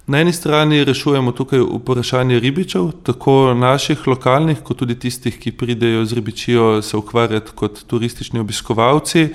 Na eni strani rešujemo tukaj vprašanje ribičev, tako naših lokalnih, kot tudi tistih, ki pridejo z ribičijo se ukvarjati kot turistični obiskovalci.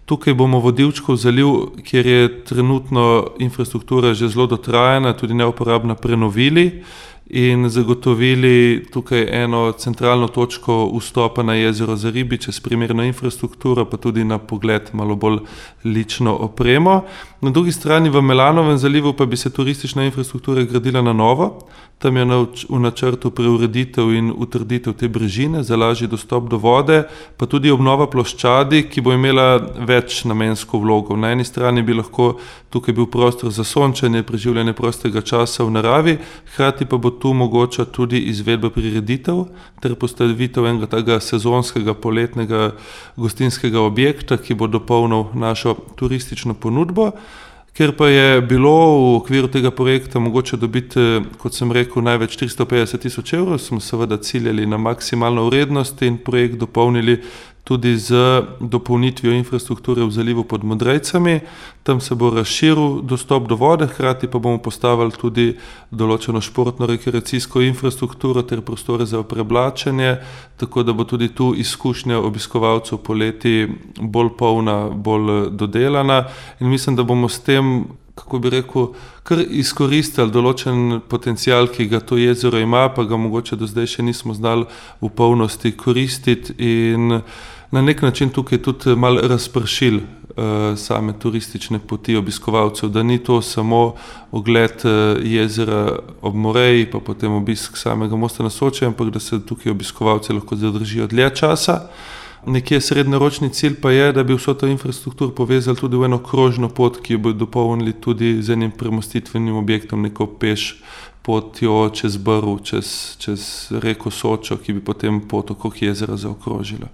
Tukaj bomo Vodilčkov zaliv, kjer je trenutno infrastruktura že zelo dotrajana, tudi neuporabna, prenovili in zagotovili tukaj eno centralno točko vstopa na jezero za ribiče s primerno infrastrukturo, pa tudi na pogled malo bolj lično opremo. Na drugi strani v Melanovem zalivu pa bi se turistična infrastruktura gradila na novo. Tam je v načrtu preureditev in utrditev te brežine za lažji dostop do vode, pa tudi obnova ploščadi, ki bo imela večnamensko vlogo. Na eni strani bi lahko tukaj bil prostor za sončenje, preživljanje prostega časa v naravi, hkrati pa bo tu mogoča tudi izvedba prireditev ter postavitev enega takega sezonskega poletnega gostinskega objekta, ki bo dopolnil našo turistično ponudbo. Ker pa je bilo v okviru tega projekta mogoče dobiti, kot sem rekel, največ 350 000 evrov, smo seveda ciljali na maksimalno vrednost in projekt dopolnili tudi z dopolnitvijo infrastrukture v zalivu pod Modrejcami. Tam se bo razširil dostop do vode, hkrati pa bomo postavili tudi določeno športno-rekreacijsko infrastrukturo ter prostore za preblačenje, tako da bo tudi tu izkušnja obiskovalcev poleti bolj polna, bolj dodelana in mislim, da bomo s tem, kako bi rekel, kar izkoristili določen potencial, ki ga to jezero ima, pa ga mogoče do zdaj še nismo znali v polnosti koristiti in na nek način tukaj tudi malo razpršili same turistične poti obiskovalcev, da ni to samo ogled jezera ob Moreji, pa potem obisk samega mosta na Soči, ampak da se tukaj obiskovalci lahko zadržijo dlje časa. Nekje srednjeročni cilj pa je, da bi vso to infrastrukturo povezali tudi v eno krožno pot, ki jo bo dopolnili tudi z enim premostitvenim objektom, neko peš potjo čez Brv, čez reko Sočo, ki bi potem pot okrog jezera zaokrožila.